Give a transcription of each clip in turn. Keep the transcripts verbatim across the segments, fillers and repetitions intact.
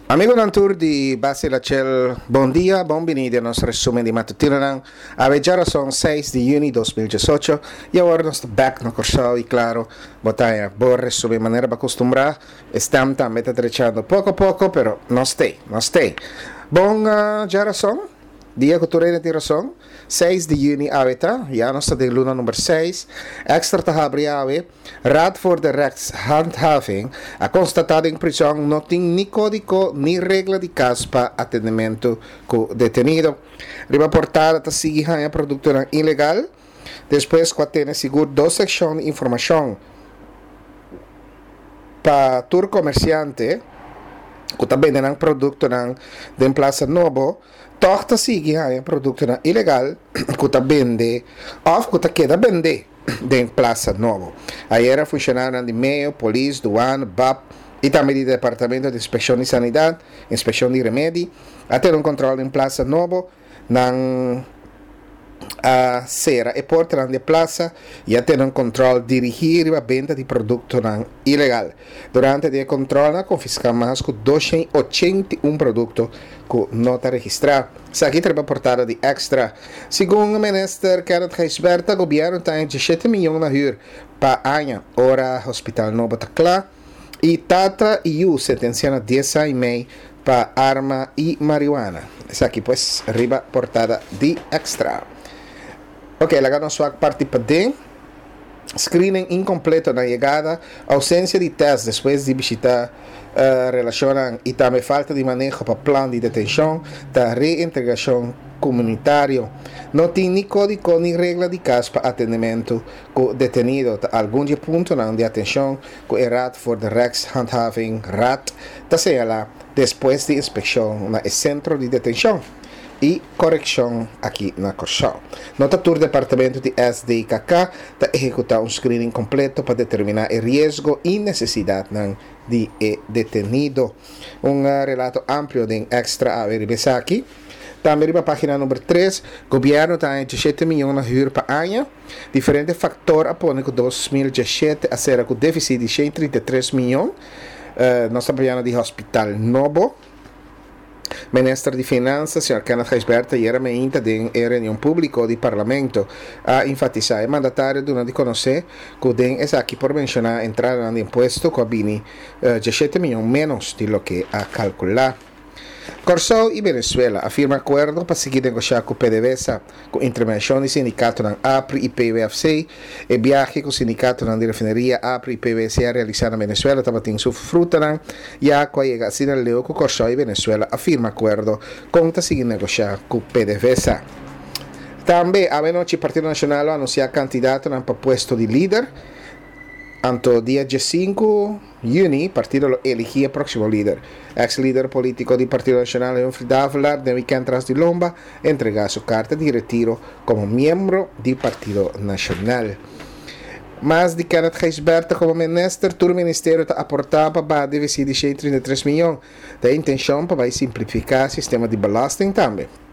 Amigonan tur di Base Lachel, bon dia, bon bini den nos resumen di matutinonan. Awe djarason seis di yüni dos mil diesocho i awor nos ta bèk na Kòrsou i klaro bo ta haña bo resumen manera bo a kustumbrá. E stem tambe ta drechando poko poko, pero nos t'ei, nos t'ei. Bon djarason, dia ku tur hende tin rason, seis di yüni awe ta, ya nos ta den luna number seis. Extra ta habri awe. Raad voor de Rechtshandhaving a konstatá den prizòn no tin ni kódigo ni regla di kas pa atendementu ku detenido. Riba portada ta sigui haña produktonan ilegal despues ku a tene sigur dos sekshon di informashon pa tur komersiante ku ta bende nan produktonan den Plaza Nobo, tòg ta sigui haña produktonan ilegal ku ta bende òf ku ta keda bende den Plaza Nobo. Ayera funshonarionan di Meo, Polis, Duan, bap i tambe di Departamento di Inspekshon di Sanidat, Inspekshon di Remedi, a tene un kòntròl den Plaza Nobo. Nan a sera e portanan di e plaza i a tene un kòntròl dirigí riba benta di produktonan ilegal. Durante di e kòntròlnan a konfiská mas ku doshen i ochenta i un produkto ku no ta registrá. Esaki ta riba portada di Extra. Segun Minister Kenneth Gijsbertha, gobièrnu ta haña diesshete miyon na hür pa aña ora hospital nobo ta kla i tata i yu sentensiá na dies aña i mei pa arma i marihuana. Esaki pues riba portada di Extra. Ok, laga nos wak parti paden. Screening incompleto na yegada, ausencia di test despues di bishita relacionnan y tambe falta di maneho pa plan di detencion ta reintegracion comunitario. No tin ni codico ni regla di cas pa atendemento cu detenido ta algun di e puntonan di atencion cu e Raad voor de Rechtshandhaving, Raad, ta señala despues di inspeccion na e centro di detencion i korekshon aki na Kòrsou. No ta tur departamento di S D K K ta ehekutá un screening kompleto pa determiná e riesgo i nesesidatnan di e detenido. Un relato amplio den Extra awe riba esaki. Tambe riba página number tres, gobièrnu ta haña diesshete mion na hür pa aña. Diferente faktor a pone ku dos mil diesshete a sera ku défisit di shen trinta i tres mion. Nos ta papiando di hospital nobo. Minister di Finansa, señor Kenneth Gijsbertha, ayera meinta den e reunion publico di Parlamento a enfatisa. E mandatario duna di conoce cu den esaki por menciona entradanan di impuesto cu a bini diesshete miyon menos di loke a calcula. Kòrsou i Venezuela a firma akuerdo pa sigui negoshá ku PDVSA, ku intervenshon di sindikatonan APRI i P W F C. E biahe ku sindikatonan di refineria APRI i P W C a realisá na Venezuela tabatin su frutanan, ya ku a yega asina leu ku Kòrsou i Venezuela a firma akuerdo kon ta sigui negoshá ku PDVSA. Tambe awenochi Partido Nashonal lo anunsiá kandidatonan pa puesto di lider. Anto dia diesinku yüni partido lo eligí e próksimo lider. Eks lider polítiko di Partido Nashonal Humphrey Davelaar den wikènt tras di lomba entregá su karta di retiro komo miembro di Partido Nashonal. Mas di Kenneth Gijsbertha komo minister, tur ministerio ta aportá pa baha defisit di shen trinta i tres miyon. Ta e intenshon pa bai simplifiká sistema di belasting tambe.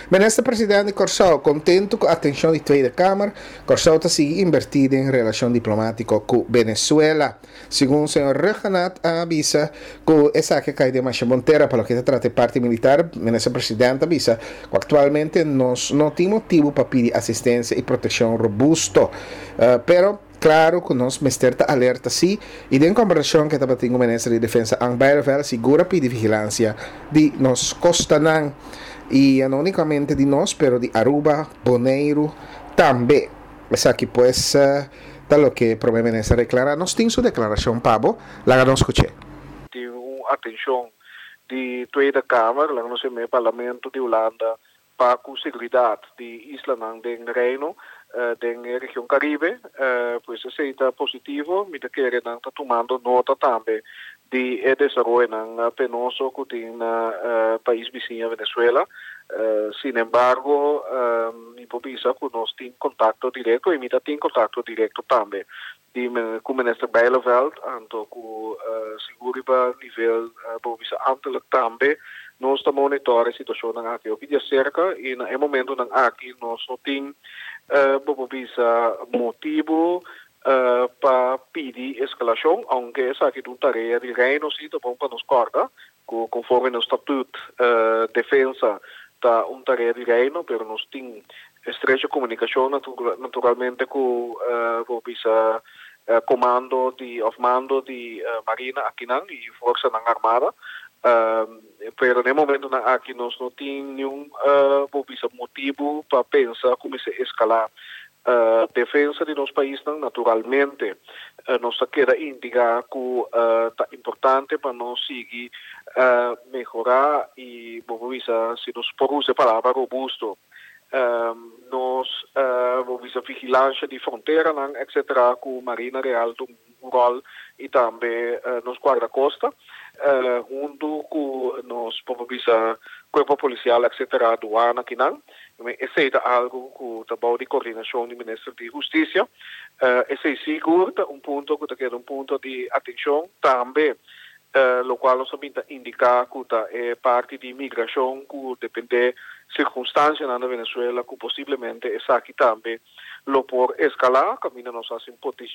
Minister President di Kòrsou kontentu ku atenshon di Tweede Kamer, Kòrsou ta sigui inbertí den relashon diplomátiko ku Venezuela. Segun señor Rhuggenaath a bisa ku esaki a kai den masha bon tera. Pa loke ta trata e parti militar, Minister President a bisa ku aktualmente nos no tin motibu pa pidi asistensia i protekshon robusto. Pero klaro ku nos mester ta alerta sí i den komberashon ku e tabatin ku Minister di Defensa Ank Bijleveld sigur a pidi vigilansia di nos kostanan. I no únikamente di nos, pero di Aruba, Boneiru tambe. Esaki pues ta loke Prome Minister a deklará. Nos tin su deklarashon pa bo, laga nos skuch'é. Tin un atenshon di Tweede Kamer, laga nos yam'é Parlamento di Hulanda, pa ku seguridat di islanan den Reino, den e region Karibe. Pues esei ta positivo. Mi ta kere nan ta tumando nota tambe di e desaroyonan penoso ku tin na pais bisiña Venezuela. Sin embargo, mi por bisa ku nos tin kontakto direkto i mi ta tin kontakto direkto tambe di ku Minister Bijleveld, anto ku sigur riba nivel bo bisa ambtelijk tambe nos ta monitor e situashonnan aki hopi di aserka i na e momentonan aki nos no tin bo bisa motibu pa pidi eskalashon, aunke esaki ta un tarea di Reino sí, ta bon pa nos kòrda. Ku konforme nos statuut, uh, defensa ta un tarea di Reino, pero nos tin estrecho komunikashon naturalmente ku uh, bisa uh, komando di òf mando di uh, Marina akinan i Forsanan Armada. Uh, pero na e momentonan aki nos no tin ningun uh, bisa motibu pa pensa kuminsá eskalá uh, defensa di nos pais. Naturalmente, uh, nos ke indiká ku uh, ta importante pa nos sigui uh, mehorá i, bon, bisa, si nos por usa e palabra robusto, um, nos uh, bisa vigilansia di frontera, et cetera, ku Marina Real un ròl i tambe uh, nos guardakosta, uh, huntu ku nos bisa kuerpo polisial, et cetera, duana akinan. Esei ta algu ku ta di koordinashon di Minister di Hustisia. Uh, esei sigur ta un punto ku ta un punto di atenshon tambe, uh, lo kual nos ta indiká ku ta e parti di migrashon, ku dependé sirkunstansia na Venezuela, ku posiblemente esaki tambe lo por eskalá, kaminda nos a hasi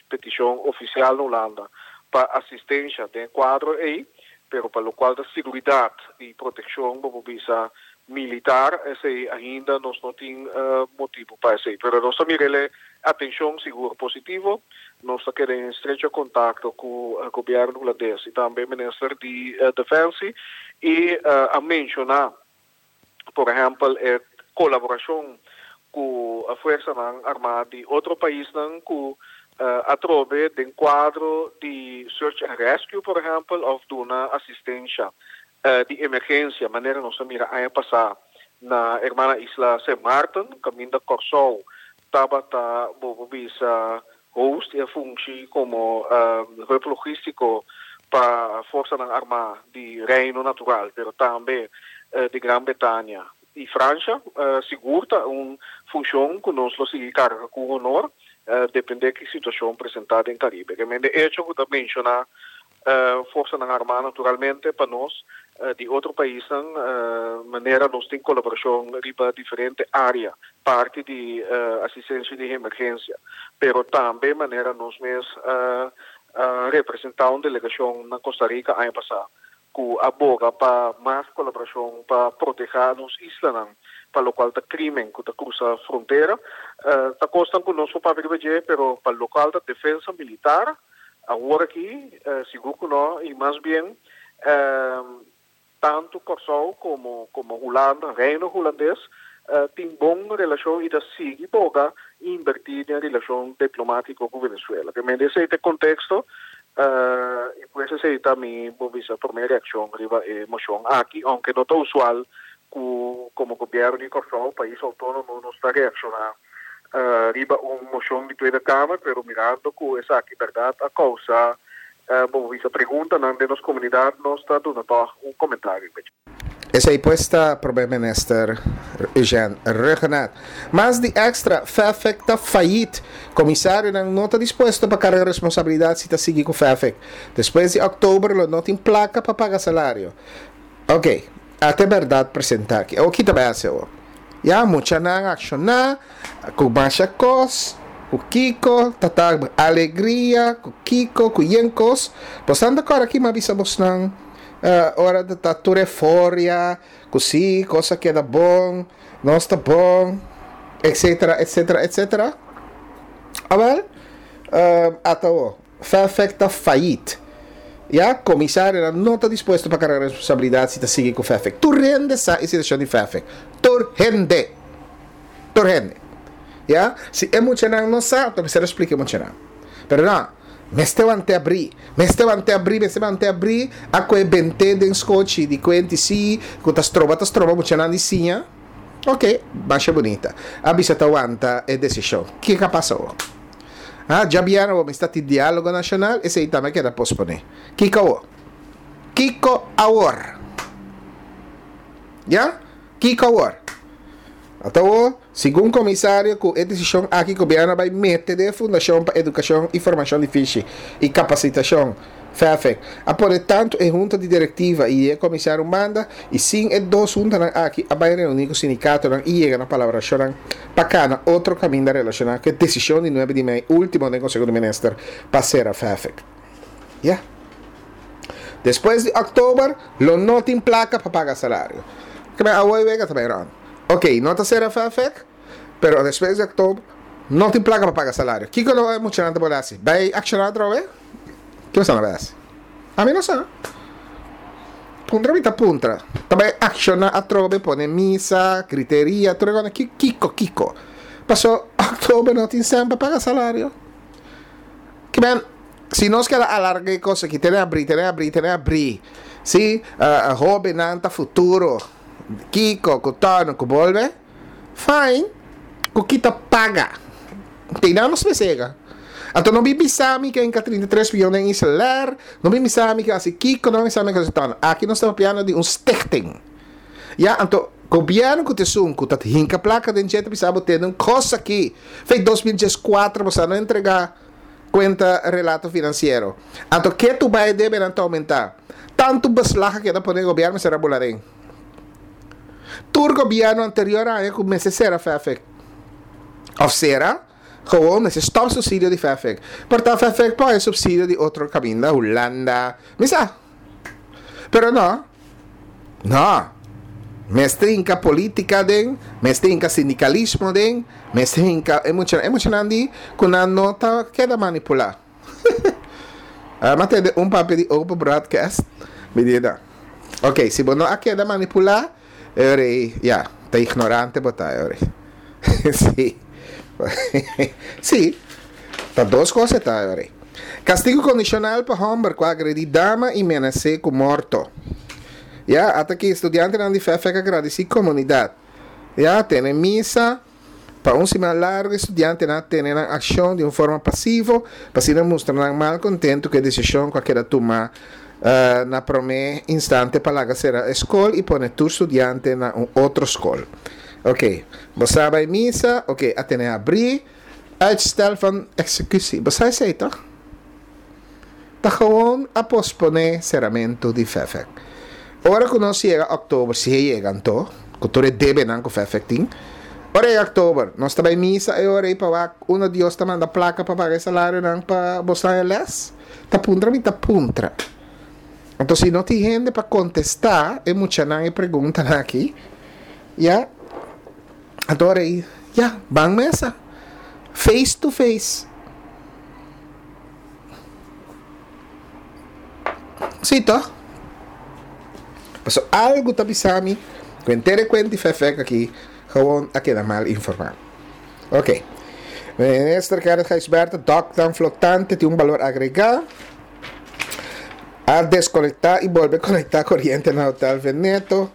petishon ofisial na Hulanda pa asistensia den kuadro ei, pero pa lokual ta seguridat i protekshon, por bisa militar, esei ainda nos no tin uh, motibu pa esei. Pero nos ta mira atenshon sigur positivo, nos ta den estrecho kontakto ku e gobièrnu hulandes i tambe Minister di uh, Defensie i uh, a menshoná, por ehèmpel, e kolaborashon ku e Forsanan Armá di otro paisnan ku uh, atrobe den kuadro di search and rescue, por ehèmpel, òf duna asistensia uh, di emergensia, manera nos a mira aña pasá na hermana isla Saint Martin, kaminda Kòrsou tabata, bo bisa, host i fungi komo uh, hub logístiko pa Forsanan Armá di Reino Natural, pero tambe uh, di Gran Bretania i Fransia, uh, sigur ta un funshon ku nos lo sigui karga ku honor, uh, dependé ki situashon presentá den Karibe. Ke men de echo ku ta menshoná uh, Forsanan Armá naturalmente pa nos uh, di otro pais, uh, manera nos tin kolaborashon riba diferente área, parti di uh, asistensia di emergensia, pero tambe manera nos mes uh, uh, representá un delegashon na Costa Rica aña pasá ku a boga pa mas kolaborashon pa protehá nos islanan pa lokual ta krimen ku ta krusa frontera. uh, ta kosnan ku nos pa pero pa lokual ta defensa militar awor aki, uh, sigur ku no, i mas bien uh, tantu Kòrsou komo komo Hulanda, Reino Hulandes, uh, tin bon relashon i ta sigui boga invertí den relashon diplomátiko ku Venezuela. Ke men den e konteksto, uh, i pues esei ta mi promé reakshon riba e moshon aki, aunke no ta usual ku komo gobièrnu di Kòrsou, pais outónomo, no ta reakshoná uh, riba un moshon di Tweede Kamer, pero mirando ku esaki berdat a kousa, uh, bon, e pregunta na nos komunidat, nos ta duna un komentario. Esei pues ta Promé Minister Eugene Rhuggenaath. Mas di extra, FEFFIK ta fayit. Komisarionan no ta dispuesto pa karga responsabilidat si ta sigui ku FEFFIK. Despues di òktober no tin plaka pa paga salario. Ok, ata berdat presentá aki. O kita bai hasi. Ya, muchanan akshoná, ku masha kos, ku kiko, tata alegria, ku kiko, ku yen kos. Posando agora aqui, mabisa bosnang uh, ora ta tur euforia, ku si, kos a keda bon, nos ta bon, et cetera, et cetera, et cetera. Awel, uh, ata o, FEFFIK ta fayit. Ya, komisario no ta dispuesto pa karga responsabilidat si ta sigui ku FEFFIK. Tur hende sa e situashon di FEFFIK. Tur hende. Tur hende. Ya, si e muchanan no sa, anto mester splika muchanan. Pero no, mester want'é habri, mester want'é habri, mester want'é habri, a kue bent'é den skochi di kuenta si, ku ta stroba, ta stroba muchanan di siña. Ok, masha bunita. A bisa ta wanta e desishon. Kiko a pasa? Ah, djabièrnè mester tin diálogo nashonal, esei tambe a keda posponé. Kiko awor? Kiko awor? Ya? Kiko awor? Anto, segun komisario, ku e desishon aki gobièrnu a bai mete den Fundashon pa Edukashon i Formashon di Fishi i Kapasitashon, FEFFIK, a pone tantu e hunta di direktiva i e komisario manda i sin e dos huntanan aki a bai reuní ku sindikatonan i yega na palabrashon pa kana otro kaminda relashoná ku e desishon di nuebe di mei último di Konseho di Minister pa sera FEFFIK. Ya. Despues di òktober, lo no tin plaka pa paga salario. Ke men awor wega ta bai rònt. Ok, no ta sera F F E C, pero despues di òktober no tin plaka pa paga salario. Kiko lo e muchanan ta por hasi? Bai akshoná atrobe? Kiko nan ta bai hasi? Ami no sa. Puntra mi ta puntra. Ta bai akshoná atrobe, pone misa, griteria, tur e kos. Kiko, kiko? Paso òktober no tin sèn pa paga salario. Ke men, si nos ke alargá e kos aki, tene habrí, tene habrí, tene habrí. Si, uh, hóbennan ta futuro. Kiko, ku tono, ku bolbe. Fine. Ku kita paga. Tin nos mesega. Anto no bin bisami ku a trinta i tres mion den InselAir, no bin bisami ku hasi kiko, no bin bisami ku hasi tono. Aki nos ta papiando di un stichting. Ja, anto gobièrnu ku ta esun ku ta hinka plaka den dje bisa bo tin un kos aki. For di dos mil dieskuater bo no a entregá kuenta, relato finansiero. Anto ku tu bai debe nan oumentá. Tantu beslag ku ta pone gobièrnu sera bularin. Tur gobièrnu anterior a kuminsá sera F F E C. Òf sera, gewoon mester stòp supsidio di F F E C. Por ta F F E C por supsidio di otro kaminda, Hulanda, mi sa. Pero no. No. Mester hinka polítika den, mester hinka sindikalismo den, mester hinka emoshonante ku nan no ta keda manipulá. Ah, ma tin un papel di open broadcast, medida. Ok, si bo no a keda manipulá, e ja, ta ignorante bo ta, e Si. Si. Ta dos kos ta, e Kastigu kondishonal pa hòmber ku a agredí dama i menas'é ku morto. Ja, ata aki studiantenan di F F E C a gradisí komunidat. Ja, tene misa pa un siman largu, studiantenan a tene nan akshon di un forma pasivo, pa asina mustra nan malkontentu ku e desishon ku a keda tuma uh, na promé instante pa laga sera skol i pone tur studiante na un otro skol. Ok, bo a bai misa, ok, a tene habrí, uitstel van executie. Bo sa esei toch? Ta gewoon a posponé seramentu di F F E C. Ora ku nos yega òktober, si yega anto, ku tur e debenan ku F F E C tin. Ora yega òktober, nos ta bai misa e ora ei pa wak unda Dios ta manda plaka pa paga salarionan pa bo les. Ta puntra mi ta puntra. Anto si no tin hende pa kontestá e muchanan e pregunta aki, ja, anto ei, ja, ban mesa. Face to face. Si, toch? Paso algu ta bisami, ku henter e kuenta F F E C aki, gewoon a keda mal informá. Ok. Minister Gerrit Gijsbertha, dòknan flotante tin un balor agregá. A deskonektá i bolbe konektá koriente na Hotel Veneto.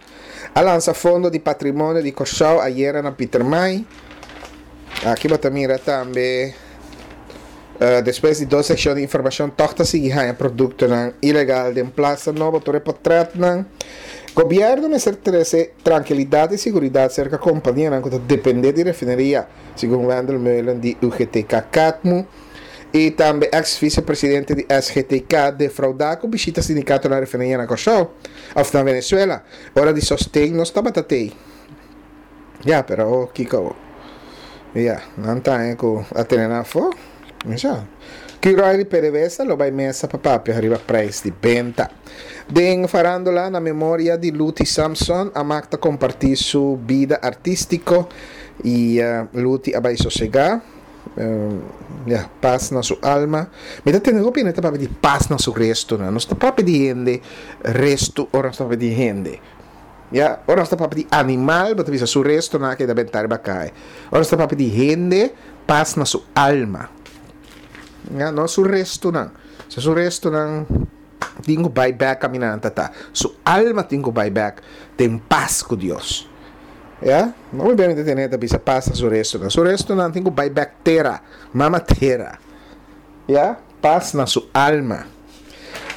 A lansa fondo di patrimonio di Kòrsou ayera na Pietermaai. Aki bo ta mira tambe uh, despues di dos sekshon di informashon, tòg ta sigui haña produktonan ilegal den Plaza Nobo, tur e portrètnan. Gobièrnu mester trese trankilidat i seguridat serka kompanianan ku ta dependé di refineria, segun Wendell Meulen di U G T K CATMU. I tambe ex-vicepresidente di S G T K defraudá ku bishita sindikato na refineria na Kòrsou, òf na Venezuela. Ora di sosten nos tabata tei. Ja, pero oh, kiko. Ja, nan ta ku a tene na afó. Ja. Curoil i P D V S A lo bai mesa pa papia riba preis di benta. Den farándula, na memoria di Luti Samson, Amak ta kompartí su bida artístiko i uh, Luti a bai sosegá. Uh, ja, pas na su alma. Mi ta tende hopi hende ta papia di pas na su resto, no? Nos ta papia di hende resto, ora nos ta papia di hende. Ja, ora nos ta papia di animal, bo ta bisa su restonan a keda bentá riba kaya. Ora nos ta papia di hende, pas na su alma. Ja, no su restonan. Si su restonan tin ku bai bèk kaminda nan ta. Su alma tin ku bai bèk den pas ku Dios. Ja? No mi bem entender ta bisa pas na su restonan. Su restonan tin ku bai bèk tera, mama tera. Ja? Pas na su alma.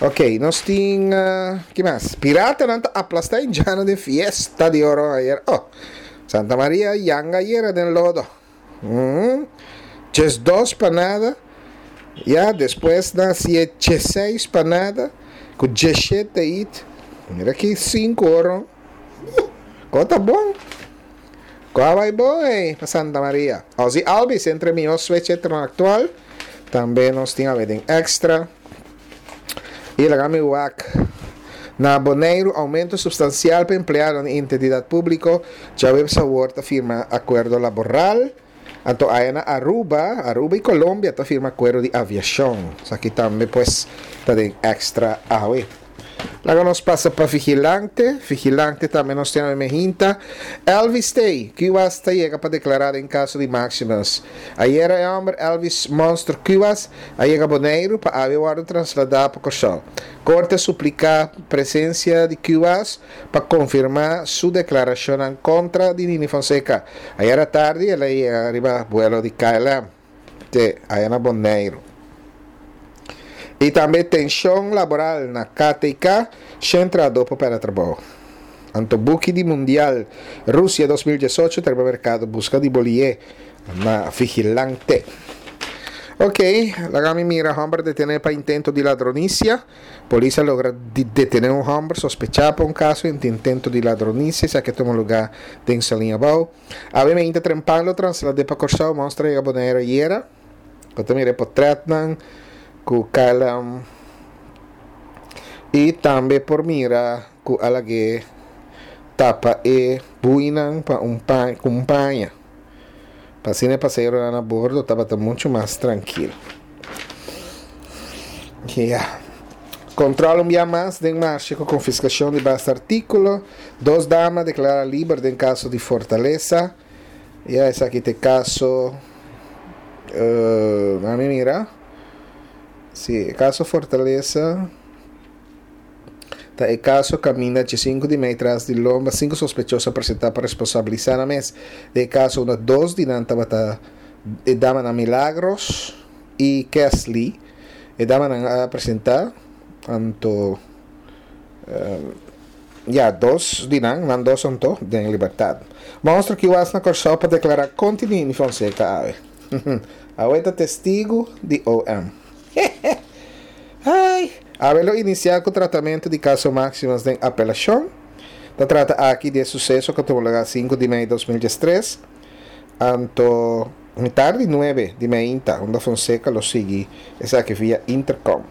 Ok, nos tin, uh, ki mas? Piratanan ta aplastá indjannan den fiesta di oro ayera. Oh, Santa Maria yanga ayera den lodo. Mm. Dos pa nada. Ja, despues nan hasi seis pa nada. Ku diesshete hit. Mira aki, sinku oro. Uh, ta bon. Kua bai bon, eh, pa Santa Maria. Ozzie Albies, entre mihó switch aktual. Tambe nos tin den extra. I laga mi wak. Na Boneiru, oumento supstansial pa empleado di entidat públiko, djaweps awor ta firma akuerdo laboral. Anto aya na Aruba, Aruba i Colombia ta firma akuerdo di aviashon. Esaki tambe, pues, ta den Extra awe. Laga nos pasa pa Vigilante. Vigilante tambe nos tin mainta. Elvis t'ei, Kuwas ta yega pa deklará den kaso di Maximus. Ayera e hòmber Elvis Monster Kuwas a yega Boneiru pa awe wòrdu trasladá pa Kòrsou. Korte a supliká presensia di Kuwas pa konfirmá su deklarashon kontra di Nini Fonseca. Ayera tardi el a yega riba vuelo di K L M te aya na Boneiru. I tambe tenshon laboral na K T K, shen trahadó por pèrdè trabou. Anto buki di Mundial Rusia dos mil diesocho ta merkado buska di bolié na Vigilante. Ok, laga mi mira: hòmber detené pa intento di ladronisia. Polis a logra detené un hòmber sospechá pa un kaso di intento di ladronisia, esaki a tuma lugá den Saliña Abou. Obviamente, trempan lo traslad'é pa Kòrsou. Monster a yega Boneiru ayera. Bo ta mira portrètnan ku K L M i tambe por mira ku a lag'é tapa e buinan pa un pa ku un paña. Pa asina pasahero na bordo tabata muchu mas trankil. Yeah. Kontrol un dia mas den marshe ku konfiskashon di basta artíkulo. Dos dama deklará liber den kaso di Fortaleza. I esaki ta kaso. Uh, mi mira. Si, kaso Fortaleza. Ta e kaso kaminda di sinku di mei tras di lomba, sinku sospechoso presentá pa responsabilisá nan mes. Den kaso un dos di nan tabata e damanan Milagros i Kesley. E damanan a presentá anto um, ya dos di nan, nan dos anto den libertat. Monster Kuwas na Kòrsou pa deklará kontra Nini Fonseca awe. Awe ta testigu di O M. Ai, awe lo inisiá ku tratamentu di kaso Maximus den apelashon. Ta trata aki di suseso ku a tuma lugá sinku di mei di dos mil diestres. Anto mitar di nuebe di mainta, unda Fonseca lo sigui esaki via intercom.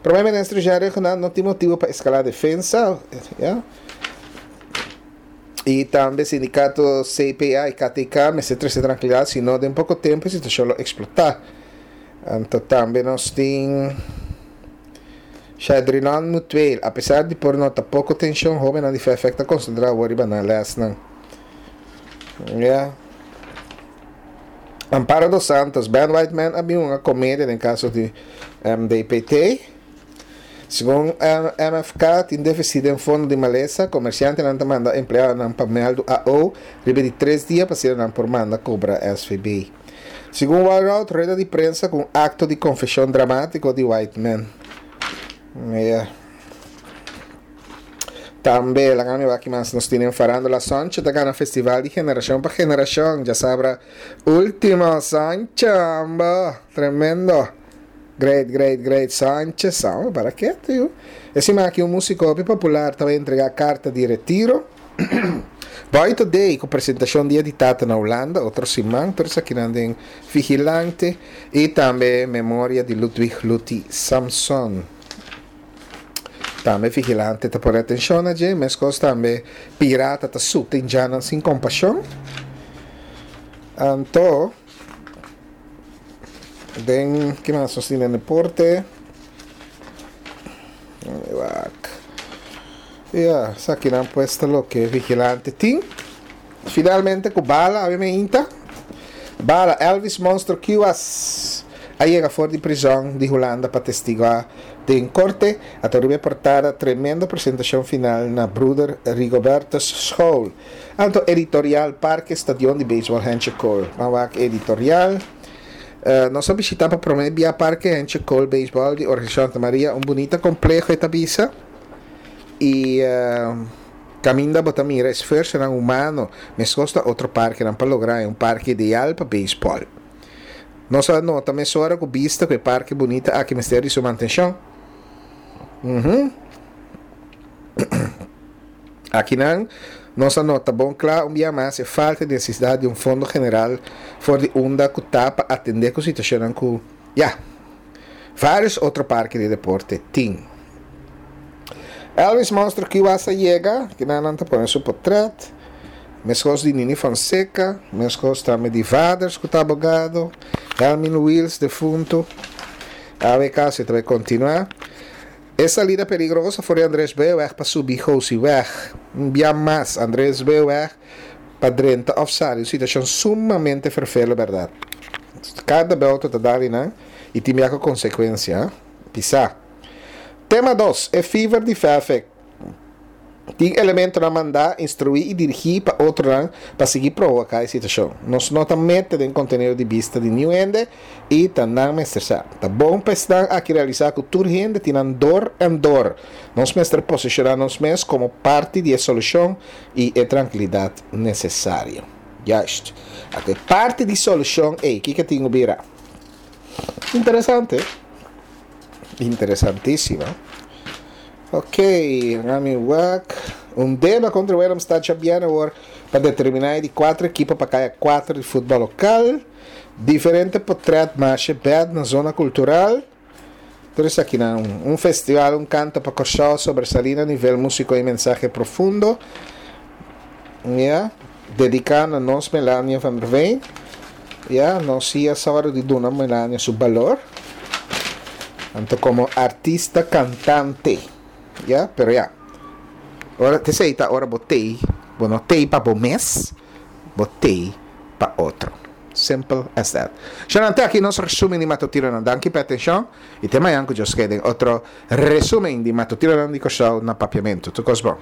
Promé minister Jerry no tin motibu pa eskalá defensa, ya? I tambe sindikato C P A i K T K mester trese trankilidat, sino den poko tempu e situashon lo eksplotá. Anto tambe nos tin Shadrilan Mutueel, apesar di por nota poko tenshon, hóbennan di F F ta konsentrá riba nan lèsnan. Yeah. Amparo dos Santos, Ben Whiteman a bin un komedia den kaso di M D P T. Segun M F K, tin défisit den fondo di malesa, komersiantenan ta manda empleadonan pa mèldu A O, riba di tres dia pa nan por manda kobra S V B. Segun Walroud, rueda di prensa ku akto di konfeshon dramátiko di Whiteman. Yeah. Tambe, laga mi aki mas nos tin farándula: Sancho ta gana festival di Generashon pa Generashon. Djasabra último, Sancho, amba. Tremendo. Great, great, great. Sanchez, ah, para ke, tio? Esse aqui um músico popular também entregar carta de retiro. Boy Today, ku presentashon Dia di Tata na Hulanda, otro siman, tur esaki den Vigilante i tambe memoria di Ludwig Luti Samson. Tambe Vigilante ta pone atenshon na dje, meskos tambe pirata ta suta indjannan sin kompashon. Anto, den ki mas nos tin den deporte? Wak. Ja, esakinan pues ta loke Vigilante tin. Finalmente ku bala, awe mainta. Bala, Elvis Monster Kuwas a yega for di prizòn di Hulanda pa testiguá den korte. A riba portada: tremendo presentashon final na Broeder Rigobertus School. Anto editorial: Parke Stadion di Baseball Hentje Cole. Mawak editorial. Uh, nos a bishitá pa promé bia Parke Hentje Cole Baseball di Organisashon Santa Maria, un bunita kompleho ta bisa. I uh, kaminda bo ta mira esfuerso humano, meskos ta otro parkenan pa logra un parke ideal pa beisbòl. Nos a nota mesora ku bista ku e parke bunita aki mester di su mantenshon. Uhum. Akinan, nos a nota bon kla un dia mas e falta di nesesidat di un fondo general for di unda ku ta pa atendé ku situashon ku ya vários otro parke di deporte tin. Elvis Monster Kiwasa yega, ku nan ta pone su portrèt. Meskos di Nini Fonseca, meskos tambe di Vaders ku ta abogado, Helmin Wiels defuntu. A W K si tambe kontinuá. E salida peligroso for Andres Beweg pa subi Gosieweg. Un bia mas Andres Beweg pa drenta òf sali. Un situashon sumamente ferfelu, berdat? Kada outo ta dal, no? I tin konsekuensia. Pisá. Tema dos. E fever di Fafek. Tin elementonan mandá, instruí i dirigí pa otro pa sigui provoká e situashon. Nos no ta mete den kontenido di bista di ningun hende i ta nan mester sa. Ta bon pa esnan aki realisá ku tur hende tin dor en dor. Nos mester posishoná nos mes komo parti di e solushon i e trankilidat nesesario. Juist. E parti di solushon, ei, kiko tin ku bira? Interesante. Interesantísimo. Ok, Rami wak. Un deba kontra Willemstad djabièrnè awor pa determiná di kuater ekipo pa kai kuater di futbòl lokal. Diferente portrèt masha bèd na zona kultural. Anto, aki na un, un festival, un kanto pa Kòrsou sobresalí na nivel músiko i mensahe profundo. Yeah. Dediká na nos Melania van der Veen. Yeah, nos a yega di duna Melania su balor. Anto, komo artista kantante. Yeah, pero ya. Ora te sei ta ora botei, bo no tei pa bo mes, botei pa otro. Simple as that. Shonnan, te aki nos resúmen di matutinonan. Danki pa atenshon. I te mañan ku Dios ke otro resúmen di matutinonan di Kòrsou na Papiamentu. Tur kos bon.